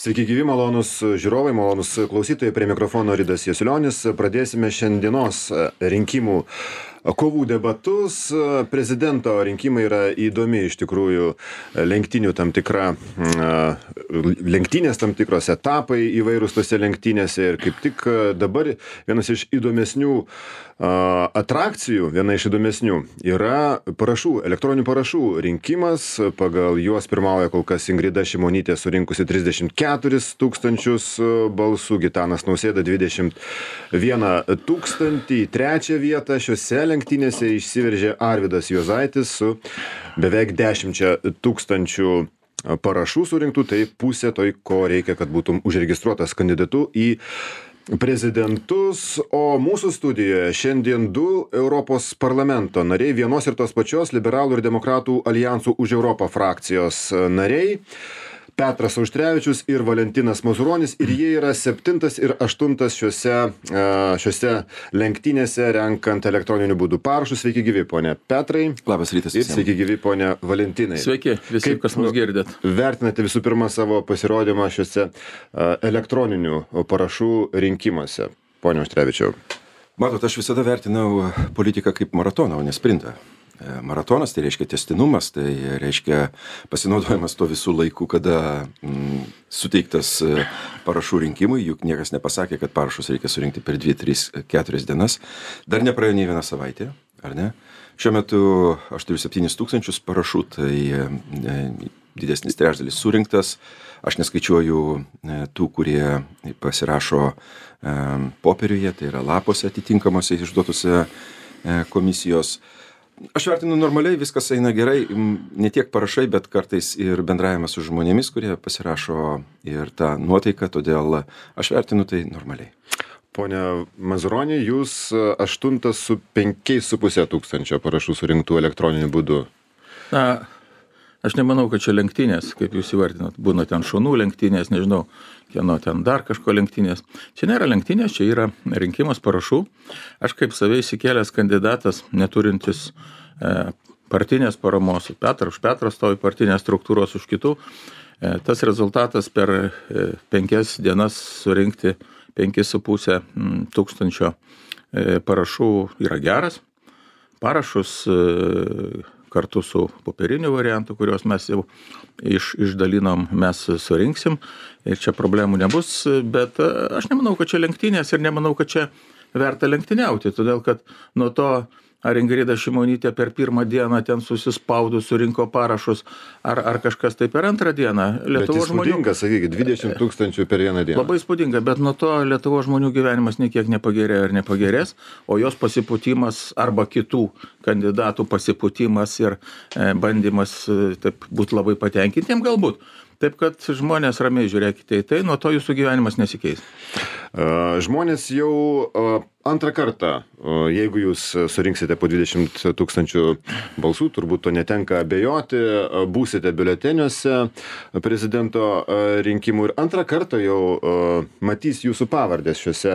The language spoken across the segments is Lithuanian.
Sveiki gyvi, malonus žiūrovai, malonus klausytojai, prie mikrofono Ridas Jasiulionis. Pradėsime šiandienos rinkimų kovų debatus. Prezidento rinkimai yra įdomi iš tikrųjų lenktynės tam tikros etapai įvairūs tose lenktynėse ir kaip tik dabar vienas iš įdomesnių atrakcijų, viena iš įdomesnių yra elektroninių parašų rinkimas. Pagal juos pirmauja kol kas Ingrida Šimonytė surinkusi 34 000 balsų, Gitanas Nausėda 21 000. Į trečią vietą šiose lenktynėse išsiveržė Arvydas Juozaitis su beveik 10 000 parašų surinktų, tai pusė to, ko reikia, kad būtum užregistruotas kandidatu į prezidentus. O mūsų studijoje šiandien du Europos parlamento nariai, vienos ir tos pačios Liberalų ir Demokratų Aljansų už Europą frakcijos nariai, Petras Auštrevičius ir Valentinas Mazuronis, ir jie yra 7 ir 8 šiose lenktynėse renkant elektroniniu būdu parašus. Sveiki gyvi, ponia Petrai. Labas rytas. Ir sveiki gyvi, ponia Valentinai. Sveiki, visi, kas mus girdėt. Vertinate visų pirma savo pasirodymą šiuose elektroninių parašų rinkimuose, ponia Auštrevičiau? Matot, aš visada vertinau politiką kaip maratoną, o ne sprintą. Maratonas tai reiškia tęstinumas, tai reiškia pasinaudojimas to visų laikų, kada suteiktas parašų rinkimui, juk niekas nepasakė, kad parašus reikia surinkti per 2, 3, 4 dienas. Dar nepraėjo nei vieną savaitę, ar ne? Šiuo metu aš turiu 7 000 parašų, tai didesnis trečdalis surinktas. Aš neskaičiuoju tų, kurie pasirašo popieriuje, tai yra lapuose atitinkamuose išduotose komisijos. Aš vertinu normaliai, viskas eina gerai, ne tiek parašai, bet kartais ir bendravimas su žmonėmis, kurie pasirašo, ir tą nuotaiką, todėl aš vertinu tai normaliai. Pone Mazuronį, jūs 8 su 5,5 tūkstančio parašų surinktų elektroniniu būdu. Na, aš nemanau, kad čia lenktynės, kaip jūs įvardinat, būna ten šunų lenktynės, nežinau, kieno ten dar kažko lenktynės. Čia nėra lenktynės, čia yra rinkimas parašų. Aš kaip save įsikėlęs kandidatas, neturintis partinės paramos, už Petrą stovi partinės struktūros už kitų, tas rezultatas per 5 dienas surinkti 5,5 tūkstančio parašų yra geras. Parašus kartu su popieriniu variantu, kuriuos mes jau išdalinom, mes surinksim ir čia problemų nebus, bet aš nemanau, kad čia lenktynės ir nemanau, kad čia verta lenktyniauti, todėl kad nuo to, ar Ingrida Šimonytė per pirmą dieną ten susispaudus surinko parašus, ar kažkas tai per antrą dieną. Lietuvos žmonių... Bet įspūdinga, sakykit, 20 000 per vieną dieną. Labai įspūdinga, bet nuo to Lietuvos žmonių gyvenimas niekiek nepagerėjo ir nepagerės, o jos pasipūtimas arba kitų kandidatų pasipūtimas ir bandymas taip būti labai patenkintiem galbūt. Taip, kad žmonės ramiai žiūrėkite į tai, nuo to jūsų gyvenimas nesikeis. Žmonės jau antrą kartą, jeigu jūs surinksite po 20 000 balsų, turbūt to netenka abejoti, būsite biuleteniuose prezidento rinkimų ir antrą kartą jau matys jūsų pavardės šiuose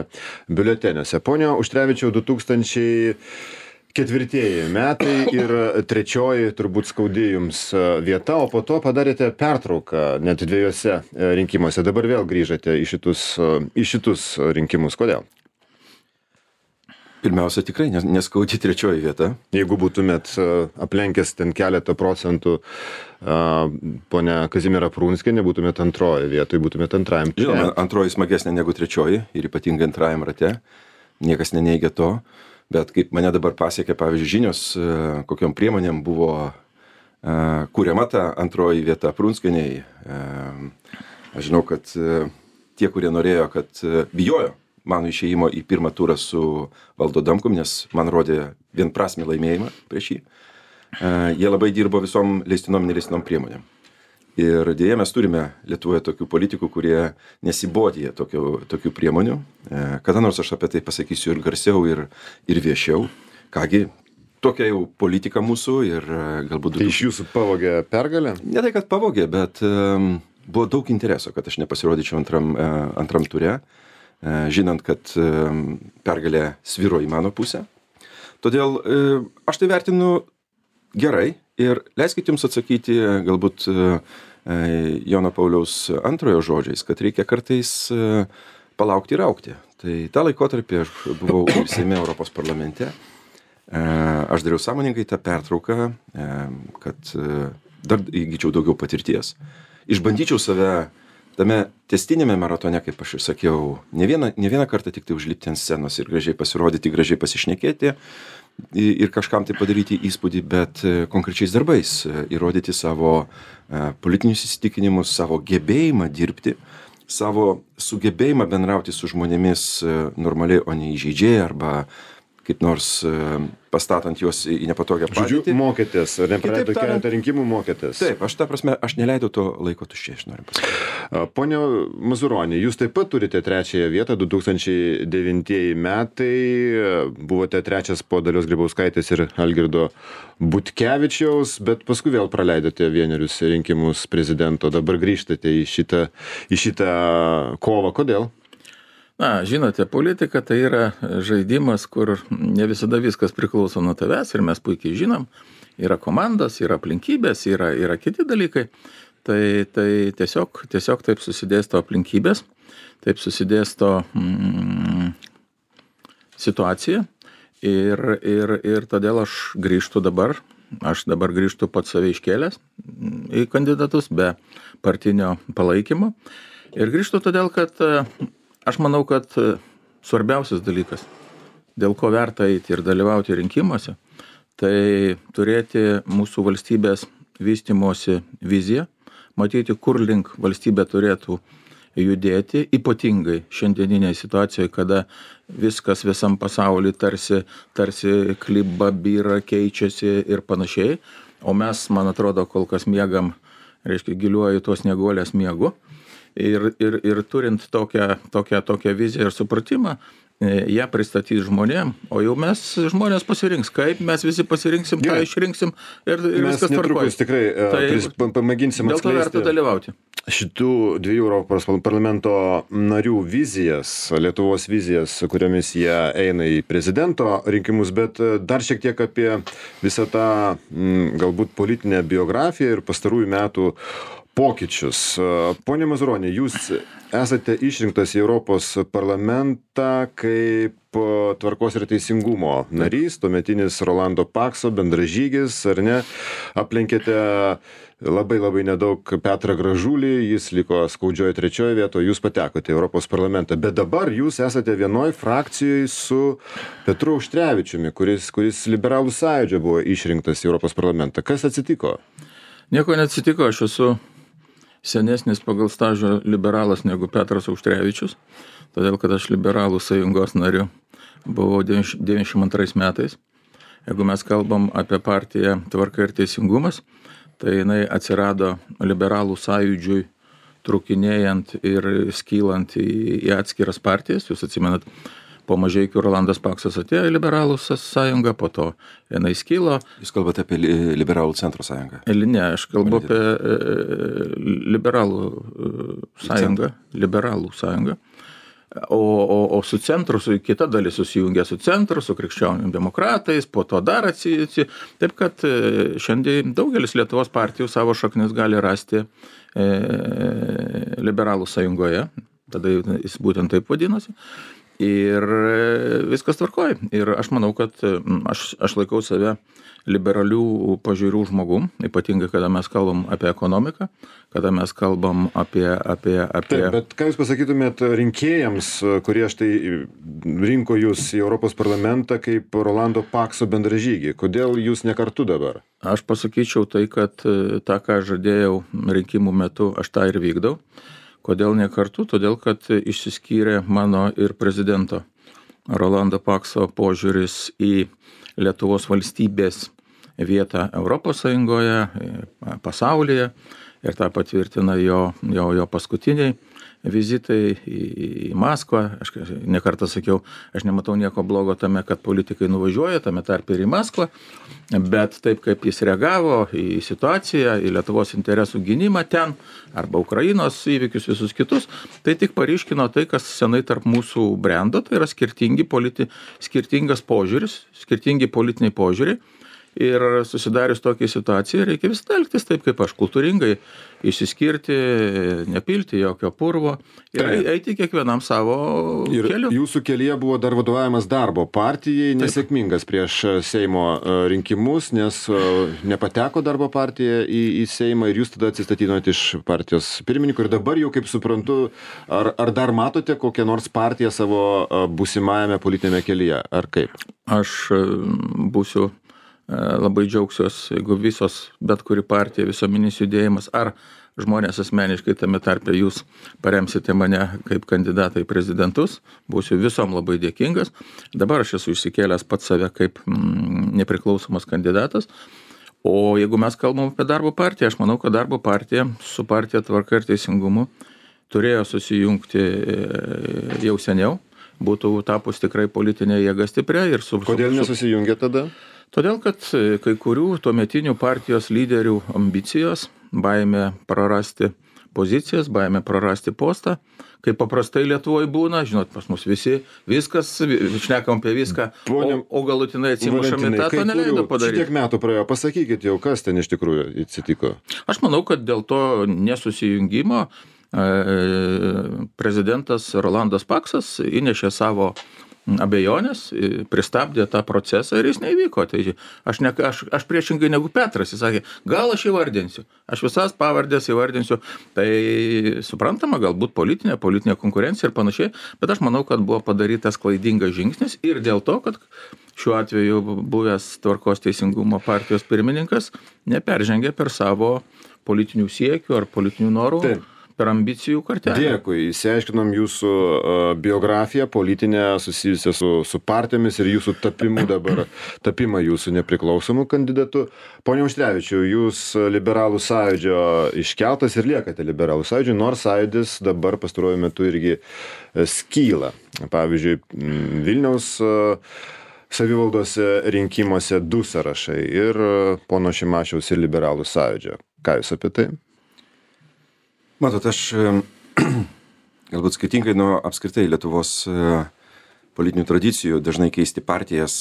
biuleteniuose. Pone Auštrevičiau, 2004 metai ir trečioji turbūt skaudi jums vieta, o po to padarėte pertrauką net 2 rinkimuose. Dabar vėl grįžate į šitus rinkimus. Kodėl? Pirmiausia, tikrai neskaudi trečioji vieta. Jeigu būtumėt aplenkęs ten keletą procentų ponia Kazimiera Prunskienė, būtumėt antroji vietoj, būtumėt antrajam. Žinoma, antroji smagesnė negu trečioji ir ypatingai antrajam rate. Niekas neneigia to. Bet kaip mane dabar pasiekė, pavyzdžiui, žinios, kokiom priemonėm buvo kuriama ta antroji vieta Prunskienei. Aš žinau, kad tie, kurie norėjo, kad bijojo mano išėjimo į pirmą turą su Valdu Adamkum, nes man rodė vienprasmį laimėjimą prieš jį, jie labai dirbo visom leistinom ir neleistinom priemonėm. Ir dėja mes turime Lietuvoje tokių politikų, kurie nesibodija tokių priemonių. Kada nors aš apie tai pasakysiu ir garsiau, ir viešiau. Kągi, tokia jau politika mūsų ir galbūt... Tai iš jūsų pavogė pergalę? Ne tai, kad pavogė, bet buvo daug intereso, kad aš nepasirodyčiau antram ture, žinant, kad pergalė sviro į mano pusę. Todėl aš tai vertinu gerai Ir leiskit jums atsakyti galbūt Jono Pauliaus antrojo žodžiais, kad reikia kartais palaukti ir augti. Tai tą laikotarpį aš buvau ir Seime Europos parlamente. Aš dariau sąmoningai tą pertrauką, kad dar įgyčiau daugiau patirties. Išbandyčiau save tame tęstinėme maratone, kaip aš ir sakiau, ne vieną kartą tik tai užlipti ant scenos ir gražiai pasirodyti, gražiai pasišnekėti ir kažkam tai padaryti įspūdį, bet konkrečiais darbais įrodyti savo politinius įsitikinimus, savo gebėjimą dirbti, savo sugebėjimą bendrauti su žmonėmis normaliai, o ne įžeidžiai arba kaip nors pastatant juos į nepatogią padėtį. Žodžiu, mokėtės, ar nepraleido keletą rinkimų mokėtės? Taip, aš neleidau to laiko tuščiai, aš noriu pasakyti. Pone Mazuronį, jūs taip pat turite 3 vietą, 2009 metai, buvote 3 po Dalios Grybauskaitės ir Algirdo Butkevičiaus, bet paskui vėl praleidote 1 rinkimus prezidento, dabar grįžtate į šitą kovą. Kodėl? Na, žinote, politika tai yra žaidimas, kur ne visada viskas priklauso nuo tavęs ir mes puikiai žinom, yra komandos, yra aplinkybės, yra kiti dalykai. Tai tiesiog taip susidėsto aplinkybės, taip susidėsto situacija ir todėl aš grįžtu dabar. Aš dabar grįžtu pats save iškėlęs į kandidatus be partinio palaikymo ir grįžtu todėl, kad aš manau, kad svarbiausias dalykas, dėl ko verta eiti ir dalyvauti rinkimuose, tai turėti mūsų valstybės vystymosi viziją, matyti, kur link valstybė turėtų judėti, ypatingai šiandieninėje situacijoje, kada viskas visam pasauly tarsi kliba, byra, keičiasi ir panašiai, o mes, man atrodo, kol kas miegam, giliuoju tos snieguolės miegu. Ir turint tokią viziją ir supratimą, ją pristatys žmonėm, o jau mes žmonės pasirinks, kaip mes visi pasirinksim, tą išrinksim ir viskas tvarkoja. Mes netrukus tikrai pamėginsim atskleisti. Dėl to verta dalyvauti. Šitų 2 Europos parlamento narių vizijas, Lietuvos vizijas, su kuriomis jie eina į prezidento rinkimus, bet dar šiek tiek apie visą tą galbūt politinę biografiją ir pastarųjų metų pokyčius. Pone Mazuronį, jūs esate išrinktas į Europos parlamentą kaip Tvarkos ir teisingumo narys, tuometinis Rolando Pakso bendražygis, ar ne? Aplenkėte labai nedaug Petrą Gražulį, jis liko skaudžioje 3 vietoje, jūs patekote į Europos parlamentą, bet dabar jūs esate vienoj frakcijoje su Petru Auštrevičiumi, kuris Liberalų sąjūdžio buvo išrinktas į Europos parlamentą. Kas atsitiko? Nieko neatsitiko, aš esu senesnis pagal stažą liberalas negu Petras Auštrevičius, todėl kad aš Liberalų sąjungos nariu buvau 92 metais. Jeigu mes kalbam apie partiją Tvarka ir teisingumas, tai jinai atsirado Liberalų sąjūdžiui trukinėjant ir skylant į atskiras partijas. Jūs atsimenat, po Mažeikių Rolandas Paksas atėjo į Liberalų sąjungą, po to jinai skylo. Jūs kalbate apie Liberalų centro sąjungą? Ne, aš kalbu apie Liberalų sąjungą. Liberalų sąjungą. O su centru, su kita dalis susijungė su centru, su krikščionių demokratais, po to dar atsijėsi. Taip kad šiandien daugelis Lietuvos partijų savo šaknis gali rasti Liberalų sąjungoje. Tada jis būtent taip vadinosi. Ir viskas tvarkoja. Ir aš manau, kad aš laikau save liberalių pažiūrų žmogum, ypatingai, kada mes kalbam apie ekonomiką, kada mes kalbam apie... Taip, bet ką jūs pasakytumėt rinkėjams, kurie štai rinko jūs į Europos parlamentą kaip Rolando Pakso bendražygį? Kodėl jūs ne kartu dabar? Aš pasakyčiau tai, kad tą, ką žadėjau rinkimų metu, aš tą ir vykdau. Kodėl ne kartu? Todėl, kad išsiskyrė mano ir prezidento Rolando Pakso požiūris į Lietuvos valstybės vietą Europos Sąjungoje, pasaulyje, ir tą patvirtina jo paskutiniai vizitai į Maskvą. Aš ne kartą sakiau, aš nematau nieko blogo tame, kad politikai nuvažiuoja, tame tarpe ir į Maskvą, bet taip kaip jis reagavo į situaciją, į Lietuvos interesų gynimą ten, arba Ukrainos įvykius visus kitus, tai tik paryškino tai, kas senai tarp mūsų brendo, tai yra skirtingas požiūris, skirtingi politiniai požiūriai. Ir susidarius tokiai situacijai reikia visada elgtis taip, kaip aš, kultūringai išsiskirti, nepilti jokio purvo ir eiti kiekvienam savo keliu. Ir jūsų kelyje buvo dar vadovavimas darbo partijai, nesėkmingas prieš Seimo rinkimus, nes nepateko darbo partija į Seimą ir jūs tada atsistatydinote iš partijos pirmininko. Ir dabar jau, kaip suprantu, ar dar matote kokią nors partiją savo būsimajame politinėme kelyje, ar kaip? Aš būsiu labai džiaugsiuos, jeigu bet kuri partija, visuomeninis judėjimas ar žmonės asmeniškai, tame tarpe jūs paremsite mane kaip kandidatą į prezidentus, būsiu visom labai dėkingas. Dabar aš esu išsikėlęs pats save kaip nepriklausomas kandidatas. O jeigu mes kalbam apie darbo partiją, aš manau, kad darbo partija su partija Tvarka ir Teisingumu turėjo susijungti jau seniau, būtų tapus tikrai politinė jėga stipria. Kodėl nesusijungė tada? Todėl, kad kai kurių tuometinių partijos lyderių ambicijos, baimė prarasti pozicijas, baimė prarasti postą, kaip paprastai Lietuvoje būna, žinot, pas mus visi, viskas, šnekam apie viską, o galutinai atsimušami tą to neleido padaryti. Šitiek metų praėjo, pasakykit jau, kas ten iš tikrųjų atsitiko. Aš manau, kad dėl to nesusijungimo prezidentas Rolandas Paksas įnešė savo abejonės, pristabdė tą procesą ir jis neįvyko. Tai aš priešingai negu Petras, jis sakė, gal aš įvardinsiu, aš visas pavardės įvardinsiu, tai suprantama, galbūt politinė konkurencija ir panašiai, bet aš manau, kad buvo padarytas klaidingas žingsnis ir dėl to, kad šiuo atveju buvęs Tvarkos Teisingumo partijos pirmininkas neperžengė per savo politinių siekių ar politinių norų. Taip. Per ambicijų kartelę. Dėkui, išsiaiškinom jūsų biografiją politinę susijusią su partijomis ir jūsų tapimą jūsų nepriklausomų kandidatų. Pone Auštrevičiau, jūs Liberalų sąjūdžio iškeltas ir liekate Liberalų sąjūdžio, nors sąjūdis dabar pastaruoju metu irgi skyla. Pavyzdžiui, Vilniaus savivaldos rinkimuose 2 sąrašai ir pono Šimašiaus ir Liberalų sąjūdžio. Ką jūs apie tai? Matot, aš galbūt skirtingai nuo apskritai Lietuvos politinių tradicijų dažnai keisti partijas,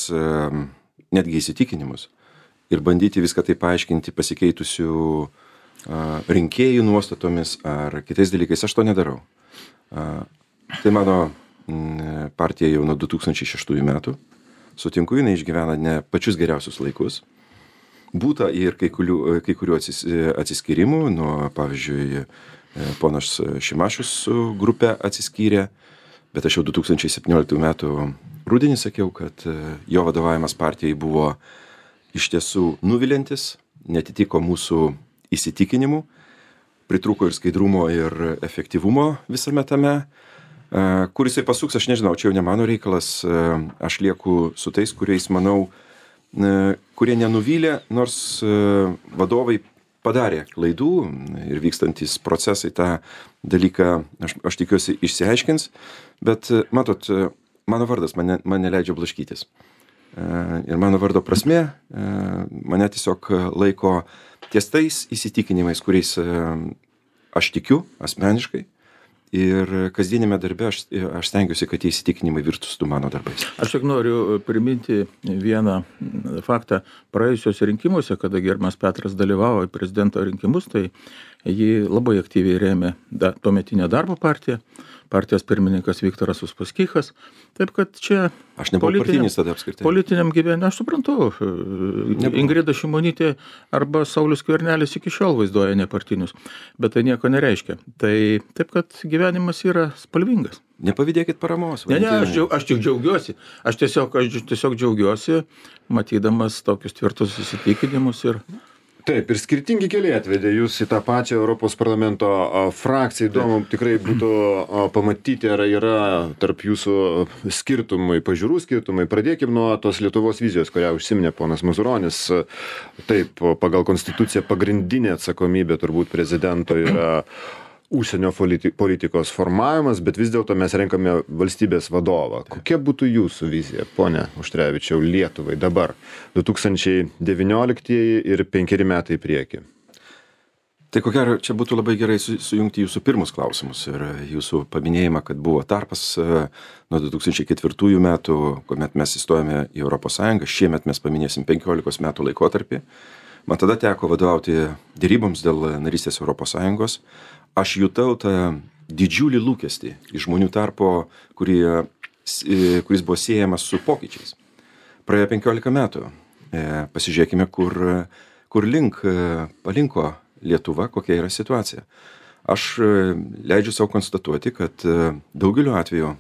netgi įsitikinimus ir bandyti viską tai paaiškinti pasikeitusių rinkėjų nuostatomis ar kitais dalykais, aš to nedarau. Tai mano partija jau nuo 2006 metų. Sutinku, jinai išgyvena ne pačius geriausius laikus. Būta ir kai kurių atsiskyrimų, nuo, pavyzdžiui, ponas Šimašius su grupe atsiskyrė, bet aš jau 2017 metų rudenį sakiau, kad jo vadovavimas partijai buvo iš tiesų nuviliantis, netitiko mūsų įsitikinimų, pritrūko ir skaidrumo ir efektyvumo visame tame. Kur jisai pasuks, aš nežinau, čia jau ne mano reikalas, aš lieku su tais, kuriais manau, kurie nenuvylė, nors vadovai padarė klaidų ir vykstantis procesai tą dalyką, aš tikiuosi, išsiaiškins, bet matot, mano vardas mane leidžia blaškytis. Ir mano vardo prasmė mane tiesiog laiko ties tais įsitikinimais, kuriais aš tikiu asmeniškai. Ir kasdienėme darbe aš stengiuosi, kad tie įsitikinimai virtustų mano darbais. Aš tik noriu priminti vieną faktą. Praėjusios rinkimuose, kada gerbiamas Petras dalyvavo į prezidento rinkimus, tai jį labai aktyviai rėmė tuometinė darbo partija, partijos pirmininkas Viktoras Uspaskichas. Taip kad čia aš nebuvau partinis tada apskritai. Politiniam gyvenime, aš suprantu, Ingrida Šimonytė arba Saulius Skvernelis iki šiol vaizduoja nepartinius, bet tai nieko nereiškia. Tai taip, kad gyvenimas yra spalvingas. Nepavydėkit paramos. Ne, aš tik džiaugiuosi. Aš tiesiog džiaugiuosi, matydamas tokius tvirtus įsitikinimus ir... Taip, ir skirtingi keliai atvedė jūs į tą pačią Europos parlamento frakciją. Įdomu tikrai būtų pamatyti, ar yra tarp jūsų skirtumai, pažiūrų skirtumai. Pradėkim nuo tos Lietuvos vizijos, kurią užsiminė ponas Mazuronis. Taip, pagal konstituciją pagrindinė atsakomybė turbūt prezidento yra užsienio politikos formavimas, bet vis dėlto mes renkame valstybės vadovą. Kokia būtų jūsų vizija, pone Auštrevičiau, Lietuvai dabar, 2019 ir 5 metai į priekį? Tai ko gero, čia būtų labai gerai sujungti jūsų pirmus klausimus ir jūsų paminėjimą, kad buvo tarpas nuo 2004 metų, kuomet mes įstojame į ES, šiemet mes paminėsim 15 metų laikotarpį. Man tada teko vadovauti dėryboms dėl narystės ES. Aš jutau tą didžiulį lūkestį iš žmonių tarpo, kuris buvo siejamas su pokyčiais. Praėjo 15 metų. Pasižiūrėkime, kur palinko Lietuva, kokia yra situacija. Aš leidžiu savo konstatuoti, kad daugeliu atveju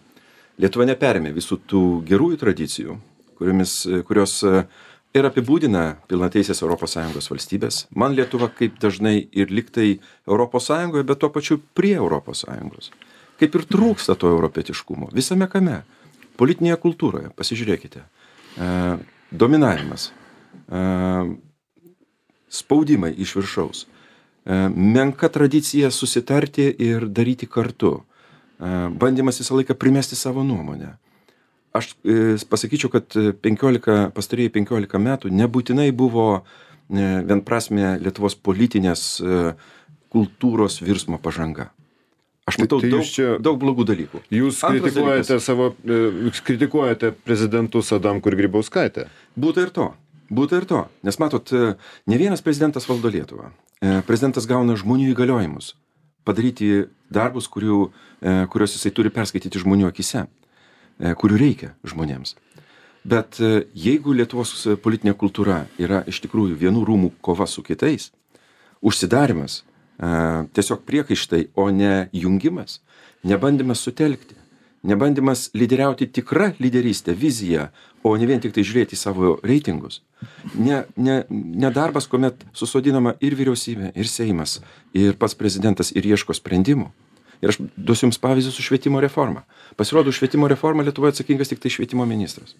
Lietuva neperėmė visų tų gerųjų tradicijų, kurios ir apibūdina pilnateisės ES valstybės. Man Lietuva kaip dažnai ir liktai ES, bet tuo pačiu prie ES. Kaip ir trūksta to europietiškumo. Visame kame. Politinėje kultūroje, pasižiūrėkite. Dominavimas. Spaudimai iš viršaus. Menka tradicija susitarti ir daryti kartu. Bandymas visą laiką primesti savo nuomonę. Aš pasakyčiau, kad pastarėjai 15 metų nebūtinai buvo vienprasmė Lietuvos politinės kultūros virsmo pažanga. Aš matau daug blogų dalykų. Jūs kritikuojate prezidentus Adamkų ir Grybauskaitę. Būta ir to. Nes matot, ne vienas prezidentas valdo Lietuvą. Prezidentas gauna žmonių įgaliojimus padaryti darbus, kuriuos jisai turi perskaityti žmonių akise, kurių reikia žmonėms. Bet jeigu Lietuvos politinė kultūra yra iš tikrųjų vienų rūmų kova su kitais, užsidarimas, tiesiog priekaištai, o ne jungimas, nebandymas sutelkti, nebandymas lyderiauti tikrą lyderystę, viziją, o ne vien tik tai žiūrėti į savo reitingus. Ne darbas, kuomet susodinama ir vyriausybė, ir Seimas, ir pats prezidentas ir ieško sprendimų. Ir aš duosiu jums pavyzdį su švietimo reforma. Pasirodo, švietimo reforma Lietuvoje atsakingas tik tai švietimo ministras.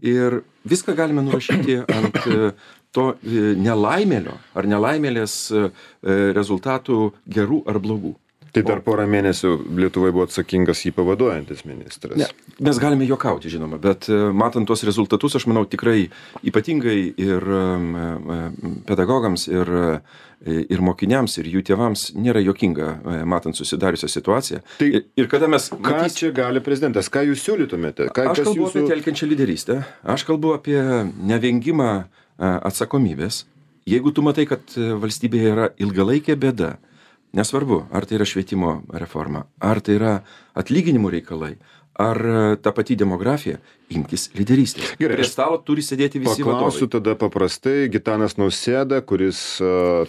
Ir viską galime nurašyti ant to nelaimėlio ar nelaimėlės rezultatų gerų ar blogų. Tai dar porą mėnesių Lietuvoje buvo atsakingas jį pavaduojantis ministras. Ne, mes galime juokauti, žinoma, bet matant tuos rezultatus, aš manau, tikrai ypatingai ir pedagogams, ir mokiniams, ir jų tėvams nėra juokinga, matant susidariusią situaciją. Tai ir kada mes... Ką čia gali prezidentas? Ką jūs siūlytumėte? Aš kalbu apie telkiančią lyderystę. Aš kalbu apie nevengimą atsakomybės. Jeigu tu matai, kad valstybėje yra ilgalaikė bėda, nesvarbu, ar tai yra švietimo reforma, ar tai yra atlyginimų reikalai, ar ta pati demografija, imkis lyderystės. Gerai, prie stalo turi sėdėti visi vadovai. Paklausiu tada paprastai, Gitanas Nausėda, kuris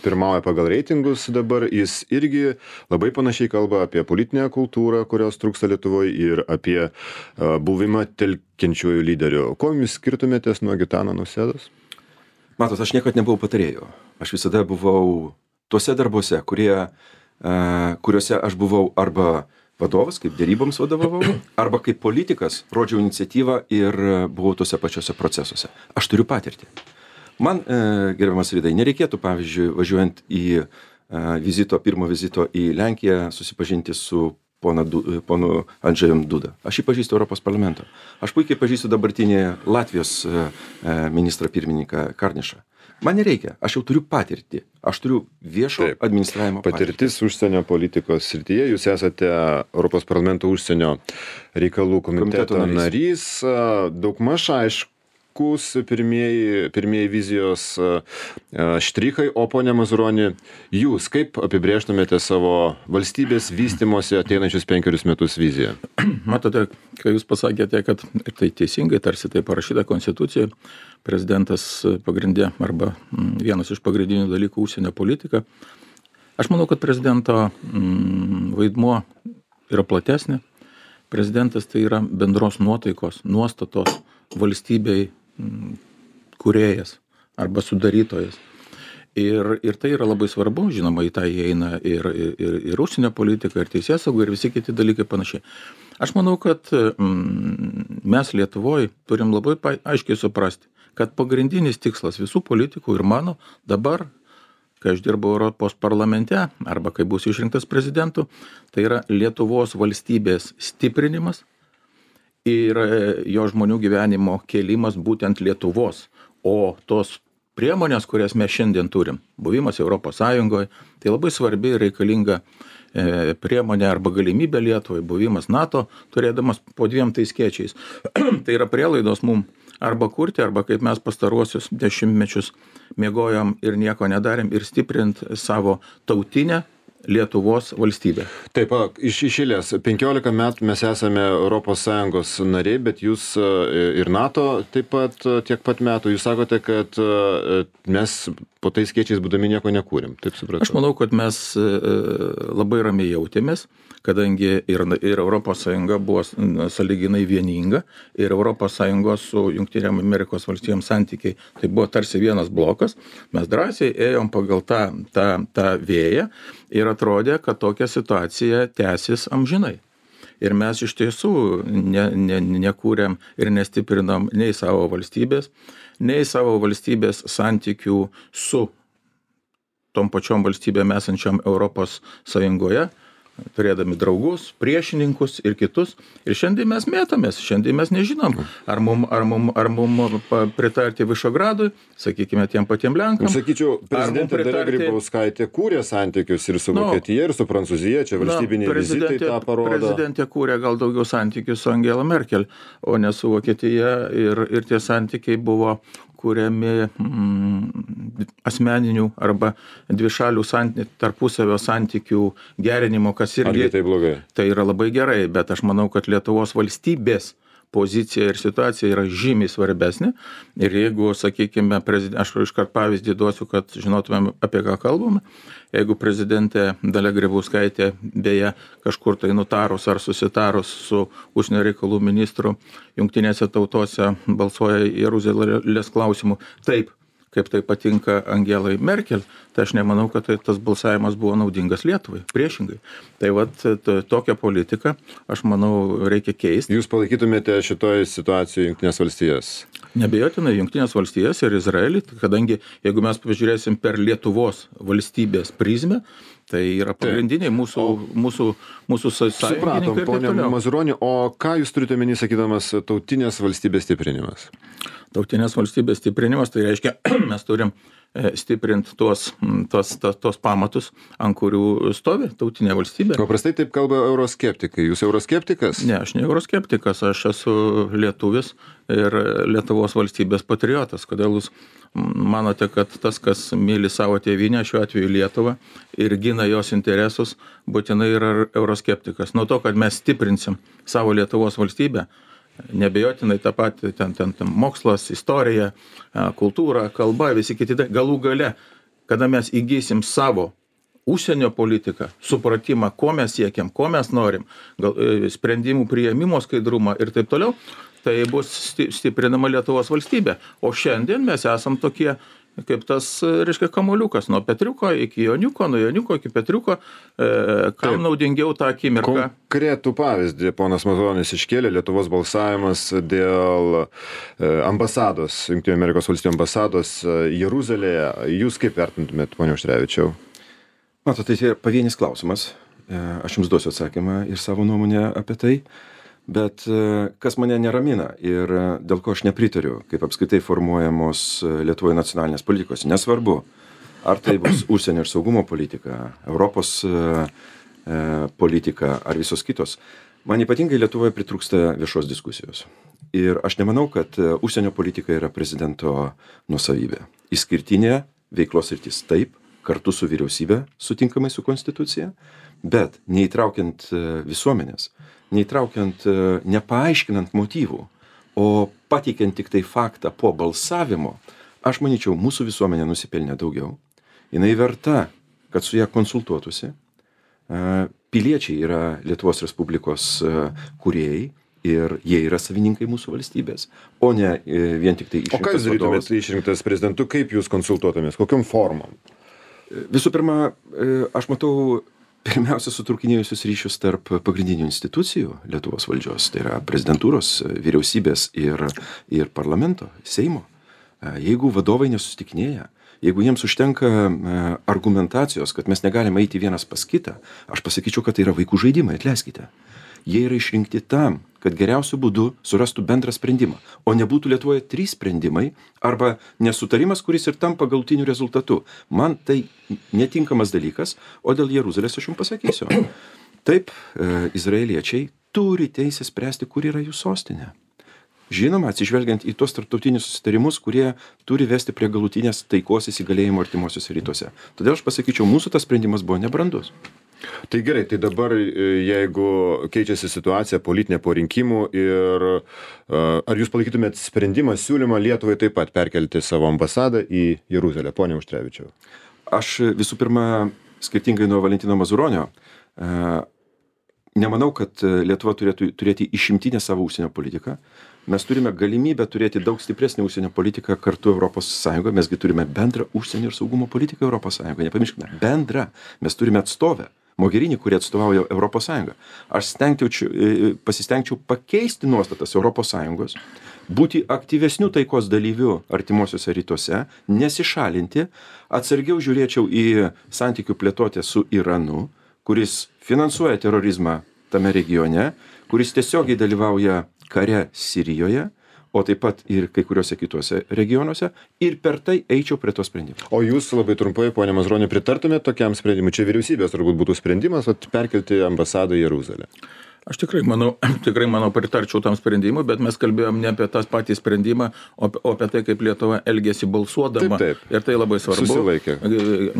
pirmauja pagal reitingus dabar, jis irgi labai panašiai kalba apie politinę kultūrą, kurios trūksta Lietuvoje, ir apie buvimą telkiančiųjų lyderių. Kuo jūs skirtumėtės nuo Gitano Nausėdos? Matot, aš niekad nebuvau patarėjų. Aš visada buvau tuose darbuose, kuriuose aš buvau arba vadovas, kaip dėryboms vadovavau, arba kaip politikas rodžiau iniciatyvą ir buvau tuose pačiuose procesuose. Aš turiu patirtį. Man, gerbiamas Ridai, nereikėtų, pavyzdžiui, važiuojant į pirmo vizito į Lenkiją, susipažinti su ponu Andžejum Duda. Aš jį pažįstu Europos parlamento. Aš puikiai pažįstu dabartinį Latvijos ministrą pirmininką Karnišą. Man nereikia, aš jau turiu patirtį, aš turiu viešo administravimo patirtis užsienio politikos srityje, jūs esate Europos parlamento užsienio reikalų komiteto narys, daugmaž aiškus pirmieji vizijos štrichai, o ponia Mazuroni, jūs kaip apibrėžtumėte savo valstybės vystymosi ateinančius 5 metus viziją? Matote, kai jūs pasakėte, kad tai teisingai, tarsi tai parašyta konstitucijoje, prezidentas pagrindė arba vienas iš pagrindinių dalykų užsienio politika. Aš manau, kad prezidento vaidmuo yra platesnė. Prezidentas tai yra bendros nuotaikos, nuostatos valstybei kūrėjas arba sudarytojas. Ir tai yra labai svarbu, žinoma, į tai įeina ir užsienio politika, ir teisėsauga, ir visi kiti dalykai panašiai. Aš manau, kad mes Lietuvoje turim labai aiškiai suprasti, kad pagrindinis tikslas visų politikų ir mano dabar, kai aš dirbau Europos parlamente, arba kai bus išrinktas prezidentu, tai yra Lietuvos valstybės stiprinimas ir jo žmonių gyvenimo kėlimas būtent Lietuvos, o tos priemonės, kurias mes šiandien turim, buvimas Europos Sąjungoje, tai labai svarbi ir reikalinga priemonė arba galimybė Lietuvai, buvimas NATO, turėdamas po 2 skėčiais. Tai yra prielaidos mums arba kurti, arba kaip mes pastaruosius 10 mečius miegojom ir nieko nedarėm ir stiprint savo tautinę Lietuvos valstybę. Taip, iš eilės, 15 metų mes esame ES nariai, bet jūs ir NATO taip pat tiek pat metų. Jūs sakote, kad mes po tais skėčiais būdami nieko nekūrėm. Taip supratau. Aš manau, kad mes labai ramiai jautėmės, kadangi ir ES buvo sąlyginai vieninga, ir ES su Jungtinėm Amerikos valstijom santykiai, tai buvo tarsi vienas blokas, mes drąsiai ėjom pagal tą vėją ir atrodė, kad tokia situacija tęsis amžinai. Ir mes iš tiesų nekūrėm ir nestiprinam nei savo valstybės santykių su tom pačiom valstybėm esančiom Europos Sąjungoje, turėdami draugus, priešininkus ir kitus. Ir šiandien mes mėtomės, šiandien mes nežinom, ar mum pritarti Višegradui, sakykime, tiem patiem Lenkam. Sakyčiau, prezidentė Dalia Grybauskaitė kūrė santykius ir su Vokietija, ir su Prancūzija, čia valstybiniai vizitai tą parodo. Prezidentė kūrė gal daugiau santykių su Angela Merkel, o ne su Vokietija, ir tie santykiai buvo kuriami asmeninių arba dvišalių tarpusavio santykių gerinimo, kas irgi tai blogai. Tai yra labai gerai, bet aš manau, kad Lietuvos valstybės pozicija ir situacija yra žymiai svarbesnė. Ir jeigu, sakykime, aš iškart pavyzdį duosiu, kad žinotumėm, apie ką kalbame. Jeigu prezidentė Dalia Grybauskaitė beje kažkur tai nutarus ar susitarus su užsienio reikalų ministru Jungtinėse tautose balsuoja Jeruzalės klausimu taip, kaip tai patinka Angelai Merkel, tai aš nemanau, kad tas balsavimas buvo naudingas Lietuvai, priešingai. Tai tokią politiką, aš manau, reikia keisti. Jūs palaikytumėte šitoje situacijoje Jungtinės valstijas? Neabejotinai Jungtinės valstijas ir Izraelį, kadangi jeigu mes pažiūrėsim per Lietuvos valstybės prizmę, tai yra pagrindiniai mūsų sąjungininkai. Supratom, ponia Mazuroni, o ką jūs turite omeny sakydamas tautinės valstybės stiprinimas? Tautinės valstybės stiprinimas, tai reiškia, mes turim stiprinti tuos pamatus, ant kurių stovi tautinė valstybė. Paprastai taip kalba euroskeptikai. Jūs euroskeptikas? Ne, aš ne euroskeptikas, aš esu lietuvis ir Lietuvos valstybės patriotas. Kodėl jūs manote, kad tas, kas myli savo tėvynę, šiuo atveju Lietuvą, ir gina jos interesus, būtinai yra euroskeptikas? Nuo to, kad mes stiprinsim savo Lietuvos valstybę, nebejotinai tą patį, ten mokslas, istorija, kultūra, kalba, visi kiti, galų gale, kada mes įgysim savo užsienio politiką, supratimą, ko mes siekiam, ko mes norim, sprendimų priėmimo skaidrumą ir taip toliau, tai bus stiprinama Lietuvos valstybė. O šiandien mes esam tokie, kaip tas, reiškia, kamuoliukas, nuo Petriuko iki Joniuko, nuo Joniuko iki Petriuko, kam naudingiau tą akimirką. Konkretų pavyzdį ponas Mazuronis iškėlė, Lietuvos balsavimas dėl ambasados, Jungtinių Amerikos valstijų ambasados Jeruzalėje. Jūs kaip vertintumėt, ponia Auštrevičiau? Matot, tai yra pavienis klausimas. Aš jums duosiu atsakymą ir savo nuomonę apie tai. Bet kas mane neramina ir dėl ko aš nepritariu, kaip apskritai formuojamos Lietuvoje nacionalinės politikos, nesvarbu, ar tai bus užsienio ir saugumo politika, Europos politika ar visos kitos, man ypatingai Lietuvoje pritrūksta viešos diskusijos. Ir aš nemanau, kad užsienio politika yra prezidento nuosavybė. Išskirtinė veiklos sritis taip, kartu su vyriausybė, sutinkamai su konstitucija, bet neįtraukiant visuomenės, nepaaiškinant motyvų, o pateikiant tik tai faktą po balsavimo, aš manyčiau, mūsų visuomenė nusipelnė daugiau. Jinai verta, kad su ją konsultuotųsi. Piliečiai yra Lietuvos Respublikos kūrėjai ir jie yra savininkai mūsų valstybės, o ne vien tik tai išrinktas vadovas. O ką jūs darytumėt išrinktas prezidentu, kaip jūs konsultuotumės, kokiom formom? Visų pirma, aš matau pirmiausia sutrūkinėjusius ryšius tarp pagrindinių institucijų Lietuvos valdžios, tai yra prezidentūros, vyriausybės ir parlamento, Seimo. Jeigu vadovai nesusitikinėja, jeigu jiems užtenka argumentacijos, kad mes negalime eiti vienas pas kitą, aš pasakyčiau, kad tai yra vaikų žaidimai, atleiskite. Jie yra išrinkti tam, kad geriausiu būdu surastų bendrą sprendimą, o nebūtų Lietuvoje 3 sprendimai arba nesutarimas, kuris ir tampa galutiniu rezultatu. Man tai netinkamas dalykas, o dėl Jeruzalės aš jums pasakysiu. Taip, izraeliečiai turi teisę spręsti, kur yra jų sostinė. Žinoma, atsižvelgiant į tos tarptautinius susitarimus, kurie turi vesti prie galutinės taikos įsigalėjimo artimuosiuose rytuose. Todėl aš pasakyčiau, mūsų tas sprendimas buvo nebrandus. Tai gerai, tai dabar jeigu keičiasi situacija politinė po rinkimų ir ar jūs palaikytumėt sprendimą, siūlymą Lietuvai taip pat perkelti savo ambasadą į Jeruzalę, pone Auštrevičiau? Aš visų pirma, skirtingai nuo Valentino Mazuronio, nemanau, kad Lietuva turėtų turėti išimtinę savo užsienio politiką. Mes turime galimybę turėti daug stipresnį užsienio politiką kartu Europos Sąjungoje. Mesgi turime bendrą užsienio ir saugumo politiką Europos Sąjungoje. Nepamirškime, bendrą. Mes turime atstovę, Mogherini, kurie atstovauja Europos Sąjungą. Aš pasistengčiau pakeisti nuostatas Europos Sąjungos, būti aktyvesnių taikos dalyvių artimuosiuose rytuose, nesišalinti, atsargiau žiūrėčiau į santykių plėtotę su Iranu, kuris finansuoja terorizmą tame regione, kuris tiesiogiai dalyvauja kare Sirijoje, o taip pat ir kai kuriuose kituose regionuose, ir per tai eičiau prie to sprendimo. O jūs labai trumpai, ponė Mazuroni, pritartumėte tokiam sprendimui? Čia vyriausybės turbūt būtų sprendimas perkelti ambasadą į Jeruzalę. Aš tikrai manau pritarčiau tam sprendimui, bet mes kalbėjom ne apie tą patį sprendimą, o apie tai, kaip Lietuva elgėsi balsuodama. Taip. Ir tai labai svarbu. Susilaikė.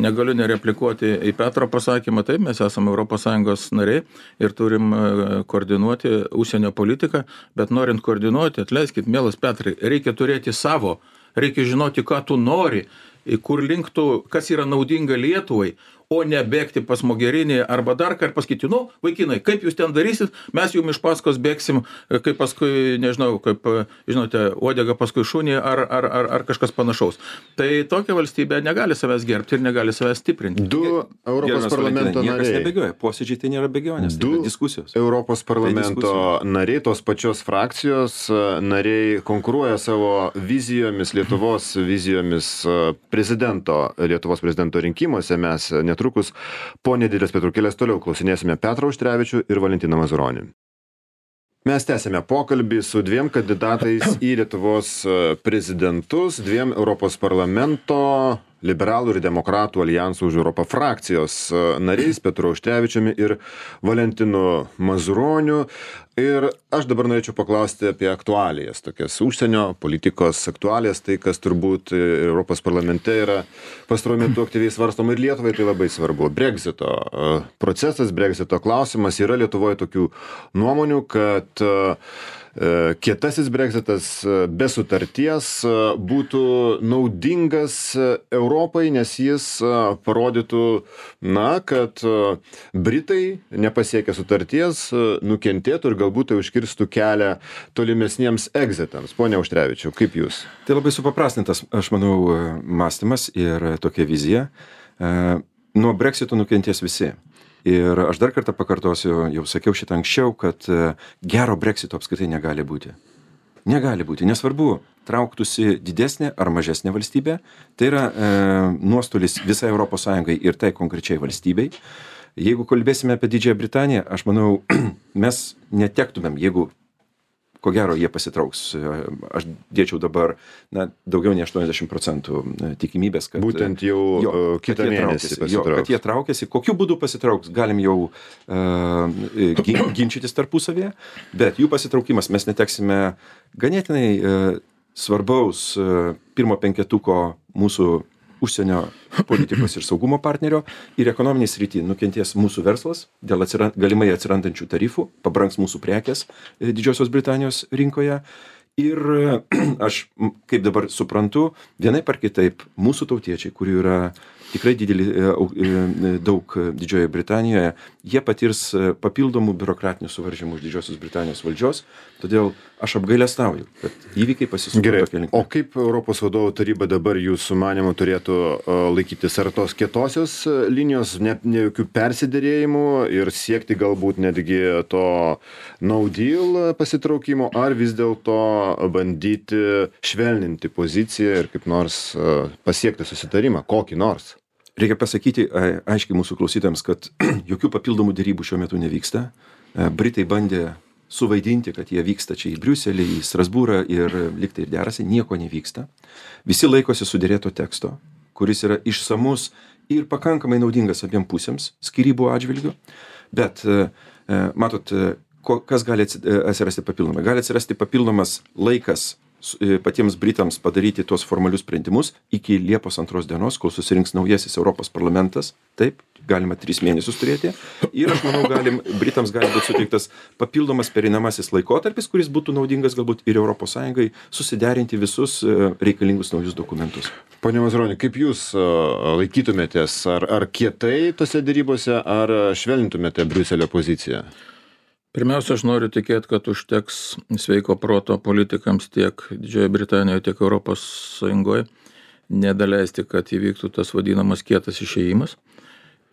Negaliu nereplikuoti į Petro pasakymą. Taip, mes esame ES nariai ir turim koordinuoti užsienio politiką, bet norint koordinuoti, atleiskit, mielas Petrai, reikia turėti savo, reikia žinoti, ką tu nori, kur link tu, kas yra naudinga Lietuvai, o ne bėgti pas Mogherini arba dar kartą pasakyti, vaikinai, kaip jūs ten darysit, mes jums iš paskos bėgsim, kaip paskui, nežinau, kaip, žinote, uodega paskui šunį ar kažkas panašaus. Tai tokia valstybė negali savęs gerbti ir negali savęs stiprinti. Du Europos parlamento nariai. Niekas nebėgioja, posėdžiai tai nėra bėgionės, tai yra diskusijos. Europos parlamento nariai, tos pačios frakcijos nariai konkuruoja savo vizijomis, Lietuvos vizijomis Lietuvos prezidento rinkimuose. Mes netrukus po nedidelės pertraukėlės toliau klausinėsime Petrą Auštrevičių ir Valentiną Mazuronį. Mes tęsėme pokalbį su 2 kandidatais į Lietuvos prezidentus, 2 Europos parlamento liberalų ir demokratų alijansų už Europą frakcijos nariais, Petru Auštrevičiumi ir Valentinu Mazuroniu. Ir aš dabar norėčiau paklausti apie aktualijas, tokias užsienio politikos aktualijas, tai kas turbūt Europos parlamente yra pastaruoju metu aktyviai svarstoma ir Lietuvai tai labai svarbu. Brexito procesas, Brexito klausimas, yra Lietuvoje tokių nuomonių, kad kietasis Brexitas be sutarties būtų naudingas Europai, nes jis parodytų, kad Britai nepasiekę sutarties nukentėtų ir galbūt tai užkirstų kelią tolimesniems exitams. Pone Auštrevičiau, kaip jūs? Tai labai supaprastintas, aš manau, mąstymas ir tokia vizija. Nuo Brexito nukentės visi. Ir aš dar kartą pakartosiu, jau sakiau šitą anksčiau, kad gero Brexito apskritai negali būti. Negali būti. Nesvarbu, trauktųsi didesnė ar mažesnė valstybė. Tai yra nuostolis visai Europos Sąjungai ir tai konkrečiai valstybei. Jeigu kalbėsime apie Didžiąją Britaniją, aš manau, mes netektumėm, jeigu ko gero jie pasitrauks. Aš dėčiau dabar daugiau nei 80% tikimybės, kad būtent jau kitą mėnesį pasitrauks. Kad jie traukiasi. Kokiu būdu pasitrauks, galim jau ginčytis tarpusavėje, bet jų pasitraukimas mes neteksime ganėtinai svarbaus pirmo penketuko mūsų užsienio politikos ir saugumo partnerio ir ekonominiai srity nukentės mūsų verslas dėl galimai atsirandančių tarifų, pabrangs mūsų prekės Didžiosios Britanijos rinkoje. Ir aš, kaip dabar suprantu, vienaip ar kitaip mūsų tautiečiai, kurių yra tikrai daug Didžiojoje Britanijoje, jie patirs papildomų biurokratinių suvaržymų iš Didžiosios Britanijos valdžios, todėl aš apgailestauju, kad įvykiai pasisuko tokia linkme. O kaip Europos vadovų taryba dabar jūsų manymu turėtų laikytis, ar tos kietosios linijos, ne jokių persiderėjimų ir siekti galbūt netgi to no deal pasitraukimo, ar vis dėlto bandyti švelninti poziciją ir kaip nors pasiekti susitarimą, kokį nors? Reikia pasakyti aiškiai mūsų klausytams, kad jokių papildomų derybų šiuo metu nevyksta. Britai bandė suvaidinti, kad jie vyksta čia į Briuselį, į Strasbūrą ir liktai ir derasi, nieko nevyksta. Visi laikosi sudėrėto teksto, kuris yra išsamus ir pakankamai naudingas abiem pusėms skyrybų atžvilgių. Bet, matot, kas gali atsirasti papildomai? Gali atsirasti papildomas laikas patiems Britams padaryti tuos formalius sprendimus iki Liepos 2 dienos, kol susirinks naujasis Europos parlamentas. Taip, galima 3 mėnesius turėti. Ir aš manau, Britams gali būti suteiktas papildomas pereinamasis laikotarpis, kuris būtų naudingas galbūt ir Europos Sąjungai susiderinti visus reikalingus naujus dokumentus. Pone Mazuroni, kaip jūs laikytumėtės? Ar kietai tose dėrybose, ar švelnintumėte Briuselio poziciją? Pirmiausia, aš noriu tikėti, kad užteks sveiko proto politikams tiek Didžiojoje Britanijoje, tiek Europos Sąjungoje nedaleisti, kad įvyktų tas vadinamas kietas išėjimas.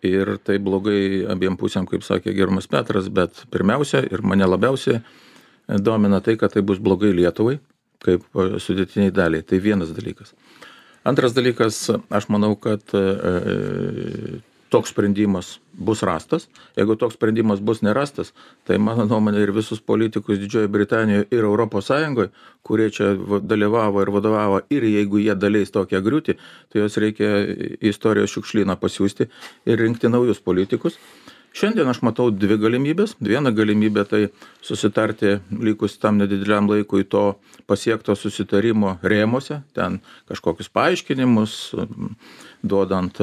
Ir tai blogai abiem pusėm, kaip sakė gerbiamas Petras, bet pirmiausia ir mane labiausiai domina tai, kad tai bus blogai Lietuvai, kaip sudėtiniai daliai. Tai vienas dalykas. Antras dalykas, aš manau, kad toks sprendimas bus rastas. Jeigu toks sprendimas bus nerastas, tai mano nuomonė ir visus politikus Didžiojoje Britanijoje ir Europos Sąjungoje, kurie čia dalyvavo ir vadovavo, ir jeigu jie daleis tokią griūtį, tai jos reikia istorijos šiukšlyną pasiųsti ir rinkti naujus politikus. Šiandien aš matau 2 galimybės. Viena galimybė tai susitarti likus tam nedideliam laikui to pasiekto susitarimo rėmuose, ten kažkokius paaiškinimus, duodant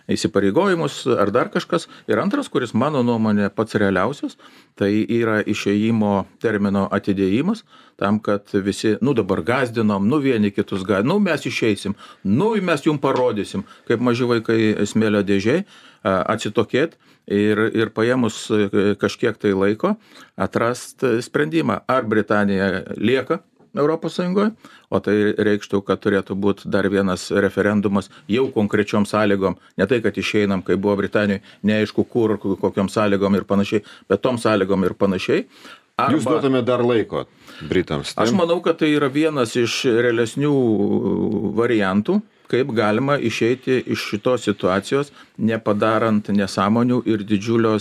įsipareigojimus ar dar kažkas. Ir antras, kuris mano nuomonė pats realiausias, tai yra išėjimo termino atidėjimas, tam, kad visi, dabar gąsdinom, vieni kitus gąsdinom, mes išeisim, mes jums parodysim, kaip maži vaikai smėlio dėžiai, atsitokėt ir paėmus kažkiek tai laiko atrast sprendimą, ar Britanija lieka Europos Sąjungoje, o tai reikštų, kad turėtų būti dar vienas referendumas jau konkrečiom sąlygom, ne tai, kad išeinam, kai buvo Britanijoje, neaišku kur, kokiom sąlygom ir panašiai, bet tom sąlygom ir panašiai. Jūs duotume dar laiko Britams. Aš manau, kad tai yra vienas iš realesnių variantų, kaip galima išeiti iš šitos situacijos, nepadarant nesąmonių ir didžiulių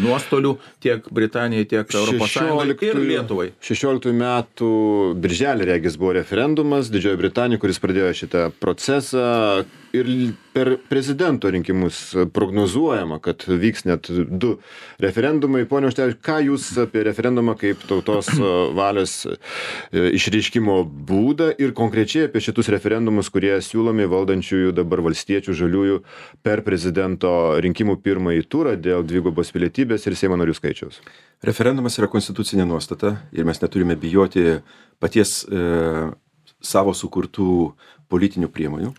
nuostolių tiek Britanijai, tiek Europos Sąjungai ir Lietuvai. 16 metų birželį regis buvo referendumas Didžiojoje Britanijoje, kuris pradėjo šitą procesą, ir per prezidento rinkimus prognozuojama, kad vyks net 2 referendumai. Pone Užtevičiau, ką jūs apie referendumą kaip tautos valios išreiškimo būdą ir konkrečiai apie šitus referendumus, kurie siūlomi valdančiųjų dabar valstiečių žaliųjų per prezidento rinkimų pirmąjį turą dėl dvigubos pilietybės ir Seimo narių skaičiaus? Referendumas yra konstitucinė nuostata ir mes neturime bijoti paties savo sukurtų politinių priemonių.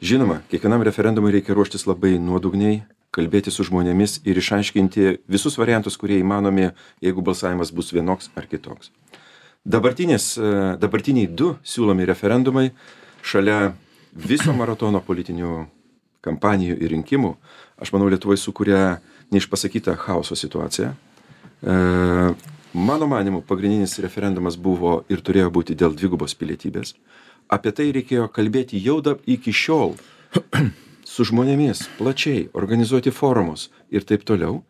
Žinoma, kiekvienam referendumui reikia ruoštis labai nuodugniai, kalbėti su žmonėmis ir išaiškinti visus variantus, kurie įmanomi, jeigu balsavimas bus vienoks ar kitoks. Dabartiniai 2 siūlomi referendumai šalia viso maratono politinių kampanijų ir rinkimų, aš manau, Lietuvoje sukuria neišpasakytą chaoso situaciją. Mano manimu, pagrindinis referendumas buvo ir turėjo būti dėl dvigubos pilietybės. Apie tai reikėjo kalbėti jau iki šiol su žmonėmis, plačiai, organizuoti forumus ir taip toliau.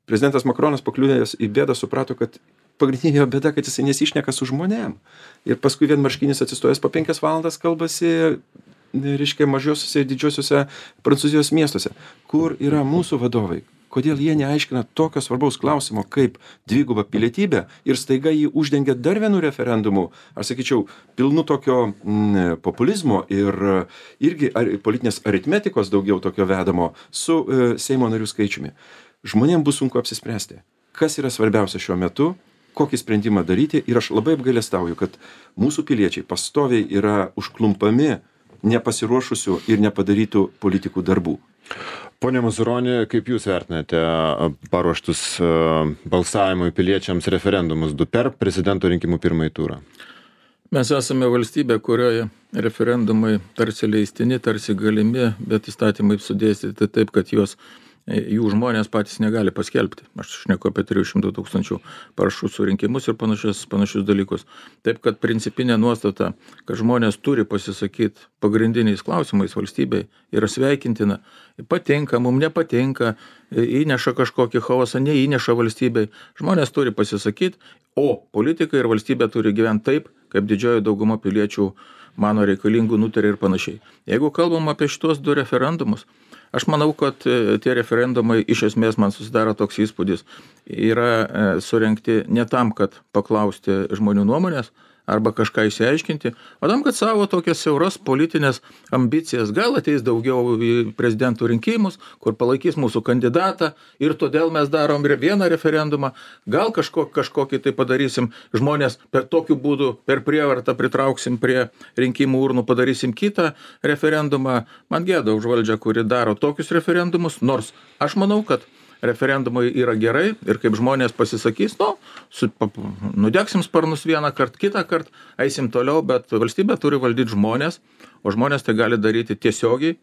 Prezidentas Makronas pakliuvęs į bėdą suprato, kad pagrindinė bėda, kad jisai nesišneka su žmonėm. Ir paskui vienmarškinis atsistojęs po 5 valandas kalbasi, mažiosiuose ir didžiosiuose Prancūzijos miestuose. Kur yra mūsų vadovai? Kodėl jie neaiškina tokio svarbaus klausimo kaip dviguba pilietybė ir staiga jį uždengia dar vienu referendumu, aš sakyčiau, pilnu tokio populizmo ir irgi politinės aritmetikos daugiau tokio vedamo su Seimo narių skaičiumi. Žmonėms bus sunku apsispręsti, kas yra svarbiausia šiuo metu, kokį sprendimą daryti, ir aš labai apgailestauju, kad mūsų piliečiai pastoviai yra užklumpami nepasiruošusių ir nepadarytų politikų darbų. Pone Mazuroni, kaip jūs vertinate paruoštus balsavimui piliečiams referendumus 2 per prezidento rinkimų pirmąjį turą? Mes esame valstybė, kurioje referendumai tarsi leistini, tarsi galimi, bet įstatymai sudėstyti taip, kad juos jų žmonės patys negali paskelbti. Aš šneku apie 300 000 parašų surinkimus ir panašius dalykus. Taip, kad principinė nuostata, kad žmonės turi pasisakyti pagrindiniais klausimais valstybei, yra sveikintina. Patinka, mums nepatinka, įneša kažkokį chaosą, neįneša valstybei. Žmonės turi pasisakyti, o politikai ir valstybė turi gyventi taip, kaip didžioji dauguma piliečių mano reikalingų nutarė ir panašiai. Jeigu kalbam apie šitos 2 referendumus, aš manau, kad tie referendumai iš esmės man susidaro toks įspūdis, yra surengti ne tam, kad paklausti žmonių nuomonės arba kažką išsiaiškinti, o tam, kad savo tokias siauras politinės ambicijas, gal ateis daugiau į prezidentų rinkimus, kur palaikys mūsų kandidatą ir todėl mes darom ir vieną referendumą, gal kažkokį tai padarysim, žmonės per tokiu būdu, per prievartą pritrauksim prie rinkimų urnų, padarysim kitą referendumą. Man gėda už valdžią, kuri daro tokius referendumus, nors aš manau, kad referendumai yra gerai ir kaip žmonės pasisakys, nudegsim sparnus vieną kartą, kitą kartą, eisim toliau, bet valstybė turi valdyti žmonės, o žmonės tai gali daryti tiesiogiai,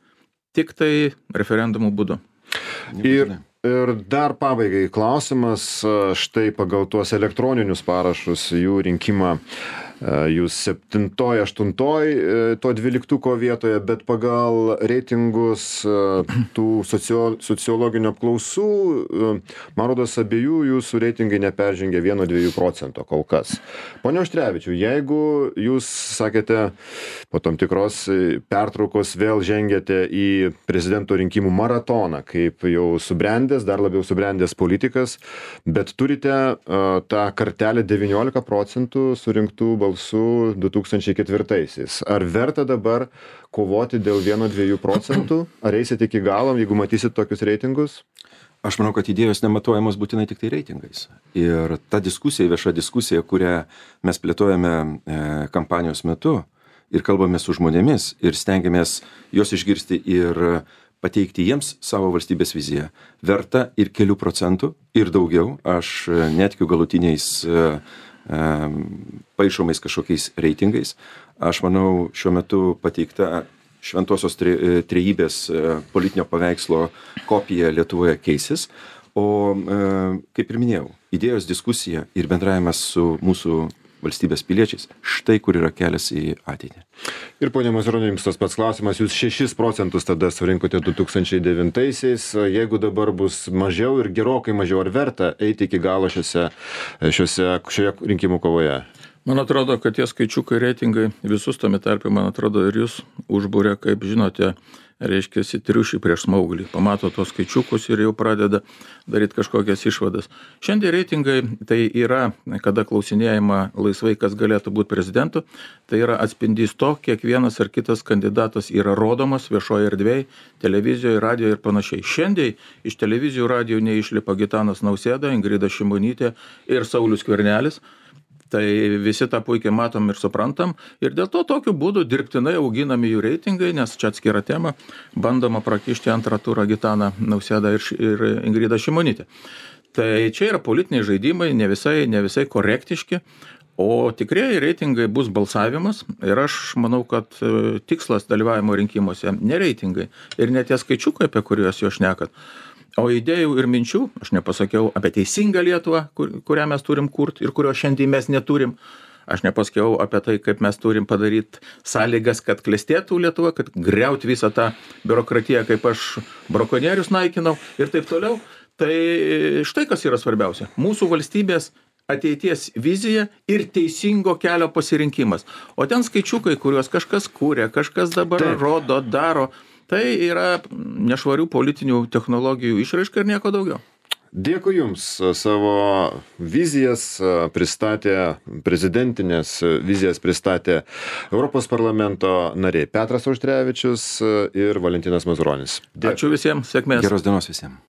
tik tai referendumų būdu. Ir dar pabaigai klausimas, štai pagal tuos elektroninius parašus, jų rinkimą, jūs 7, 8 to 12 vietoje, bet pagal reitingus tų sociologinių apklausų, man rodos, abiejų jūsų reitingai neperžengia 1-2% kol kas. Pone Auštrevičiau, jeigu jūs sakėte, po tam tikros pertraukos vėl žengėte į prezidento rinkimų maratoną, kaip jau subrendęs, dar labiau subrendęs politikas, bet turite tą kartelę 19% surinktų balsų 2004-aisiais. Ar verta dabar kovoti dėl 1-2%? Ar eisit iki galo, jeigu matysit tokius reitingus? Aš manau, kad idėjos nematuojamos būtinai tik tai reitingais. Ir ta diskusija, vieša diskusija, kurią mes plėtojame kampanijos metu ir kalbame su žmonėmis ir stengiamės juos išgirsti ir pateikti jiems savo valstybės viziją, verta ir kelių procentų ir daugiau. Aš netikiu galutiniais paišomais kažkokiais reitingais. Aš manau, šiuo metu pateikta šventosios trejybės politinio paveikslo kopija Lietuvoje keisis, o, kaip ir minėjau, idėjos diskusija ir bendravimas su mūsų valstybės piliečiais, štai kur yra kelias į ateitį. Ir ponia Mazuroni, jums tas pats klausimas, jūs 6% tada surinkote 2009-aisiais, jeigu dabar bus mažiau ir gerokai mažiau, ar verta eiti iki galo šioje rinkimų kovoje? Man atrodo, kad tie skaičiukai reitingai visus tame tarpe, man atrodo, ir jūs užbūrė, kaip žinote, reiškia, triušį prieš smauglį. Pamato tos skaičiukus ir jau pradeda daryti kažkokias išvadas. Šiandien reitingai tai yra, kada klausinėjama laisvai, kas galėtų būti prezidentu, tai yra atspindys to, kiek vienas ar kitas kandidatas yra rodomas viešoje erdvėje, televizijoje, radijoje ir panašiai. Šiandien iš televizijų, radijo neišlipa Gitanas Nausėda, Ingrida Šimonytė ir Saulius Skvernelis. Tai visi tą puikiai matom ir suprantam ir dėl to tokiu būdu dirbtinai auginami jų reitingai, nes čia atskira tema, bandoma prakišti antrą turą Gitaną Nausėdą ir Ingridą Šimonytę. Tai čia yra politiniai žaidimai, ne visai korektiški, o tikrieji reitingai bus balsavimas ir aš manau, kad tikslas dalyvavimo rinkimuose ne reitingai ir ne tie skaičiukai, apie kuriuos jūs šnekat. O idėjų ir minčių, aš nepasakiau apie teisingą Lietuvą, kurią mes turim kurti ir kurio šiandien mes neturim. Aš nepasakiau apie tai, kaip mes turim padaryti sąlygas, kad klestėtų Lietuva, kad griauti visą tą biurokratiją, kaip aš brakonierius naikinau ir taip toliau. Tai štai kas yra svarbiausia. Mūsų valstybės ateities vizija ir teisingo kelio pasirinkimas. O ten skaičiukai, kuriuos kažkas kūrė, kažkas dabar rodo, daro, tai yra nešvarių politinių technologijų išraiška ir nieko daugiau. Dėkui Jums, savo vizijas pristatė, prezidentinės vizijas pristatė Europos parlamento nariai Petras Auštrevičius ir Valentinas Mazuronis. Ačiū visiems, sėkmės. Geros dienos visiems.